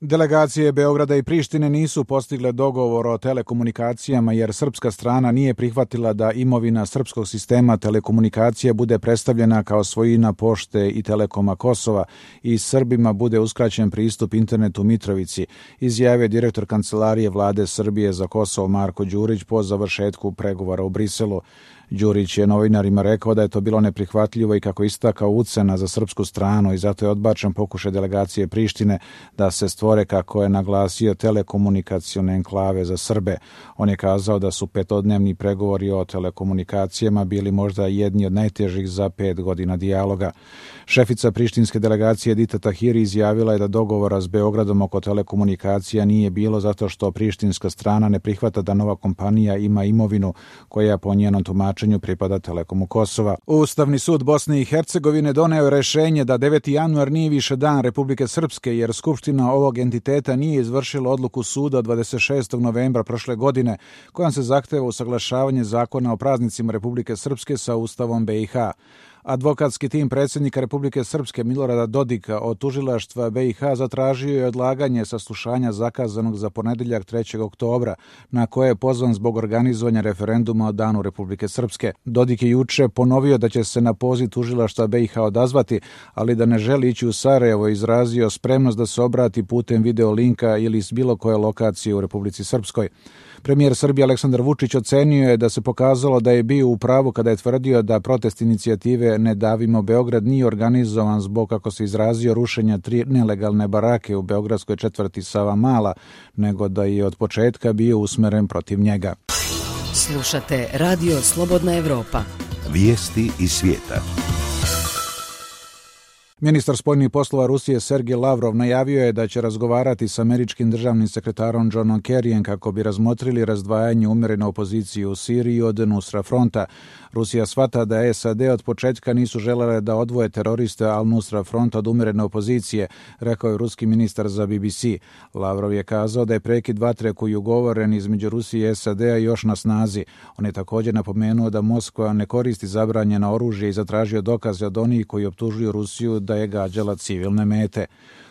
Delegacije Beograda i Prištine nisu postigle dogovor o telekomunikacijama jer srpska strana nije prihvatila da imovina srpskog sistema telekomunikacija bude predstavljena kao svojina Pošte i Telekoma Kosova i Srbima bude uskraćen pristup internetu u Mitrovici, izjavio direktor Kancelarije Vlade Srbije za Kosovo Marko Đurić po završetku pregovora u Briselu. Đurić je novinarima rekao da je to bilo neprihvatljivo i kako istakao ucena za srpsku stranu i zato je odbačen pokušaj delegacije Prištine da se stvore, kako je naglasio, telekomunikacione enklave za Srbe. On je kazao da su petodnevni pregovori o telekomunikacijama bili možda jedni od najtežih za 5 godina dijaloga. Šefica prištinske delegacije Edita Tahiri izjavila je da dogovora s Beogradom oko telekomunikacija nije bilo zato što prištinska strana ne prihvata da nova kompanija ima imovinu koja po njenom tumačenju pripada Telekomu Kosova. Ustavni sud Bosne i Hercegovine doneo je rešenje da 9. januar nije više dan Republike Srpske jer Skupština ovog entiteta nije izvršila odluku suda od 26. novembra prošle godine kojom se zahteva usaglašavanje zakona o praznicima Republike Srpske sa Ustavom BiH. Advokatski tim predsjednika Republike Srpske Milorada Dodika od tužilaštva BiH zatražio je odlaganje saslušanja zakazanog za ponedjeljak 3. oktobra, na koje je pozvan zbog organizovanja referenduma o Danu Republike Srpske. Dodik je juče ponovio da će se na poziv tužilaštva BiH odazvati, ali da ne želi ići u Sarajevo, izrazio spremnost da se obrati putem video linka ili s bilo koje lokacije u Republici Srpskoj. Premijer Srbije Aleksandar Vučić ocenio je da se pokazalo da je bio u pravu kada je tvrdio da protest inicijative Ne davimo Beograd nije organizovan zbog, kako se izrazio, rušenja 3 nelegalne barake u beogradskoj četvrti Savamala, nego da je od početka bio usmeren protiv njega. Slušate Radio Slobodna Evropa. Vijesti iz svijeta. Ministar spoljnih poslova Rusije Sergej Lavrov najavio je da će razgovarati s američkim državnim sekretarom Johnom Kerryjem kako bi razmotrili razdvajanje umjerene opozicije u Siriji od Nusra fronta. Rusija shvata da SAD od početka nisu želele da odvoje teroriste Al-Nusra fronta od umjerene opozicije, rekao je ruski ministar za BBC. Lavrov je kazao da je prekid vatre koji je ugovoren između Rusije i SAD-a još na snazi. On je također napomenuo da Moskva ne koristi zabranjeno oružje i zatražio dokaze od onih koji optužuju Rusiju da je gađala civilne mete.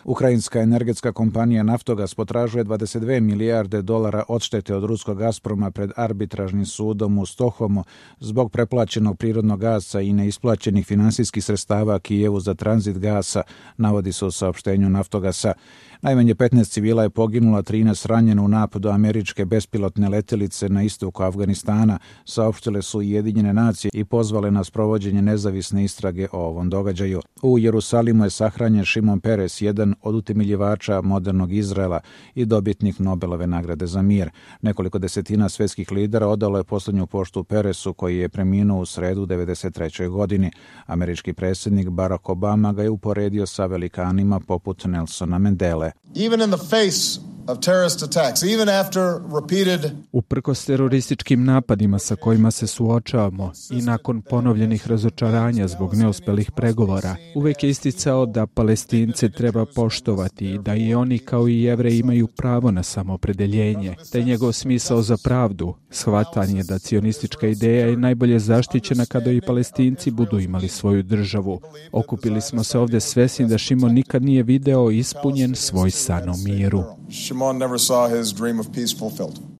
Ukrajinska energetska kompanija Naftogas potražuje $22 milijarde odštete od ruskog Gazproma pred arbitražnim sudom u Stokholmu zbog preplaćenog prirodnog gasa i neisplaćenih finansijskih sredstava Kijevu za tranzit gasa, navodi se u saopštenju Naftogasa. Najmanje 15 civila je poginulo, 13 ranjeno u napadu američke bespilotne letjelice na istoku Afganistana, saopštile su Ujedinjene nacije i pozvale na sprovođenje nezavisne istrage o ovom događaju. U Jerusalimu je sahranjen Šimon Peres, jedan od utemeljivača modernog Izraela i dobitnik Nobelove nagrade za mir. Nekoliko desetina svjetskih lidera odalo je posljednju poštu Peresu, koji je preminuo u sredu 93. godini. Američki predsjednik Barack Obama ga je uporedio sa velikanima poput Nelsona Mandele. Even in the face of terrorist attacks, even after repeated... Uprkos terorističkim napadima sa kojima se suočavamo i nakon ponovljenih razočaranja zbog neuspelih pregovora, uvek je isticao da Palestince treba poštovati i da i oni kao i Jevreji imaju pravo na samoopredeljenje, te njegov smisao za pravdu, shvatanje da cionistička ideja je najbolje zaštićena kada i Palestinci budu imali svoju državu. Okupili smo se ovdje svesni da Šimon nikad nije video ispunjen svoj san o miru. Shimon never saw his dream of peace fulfilled.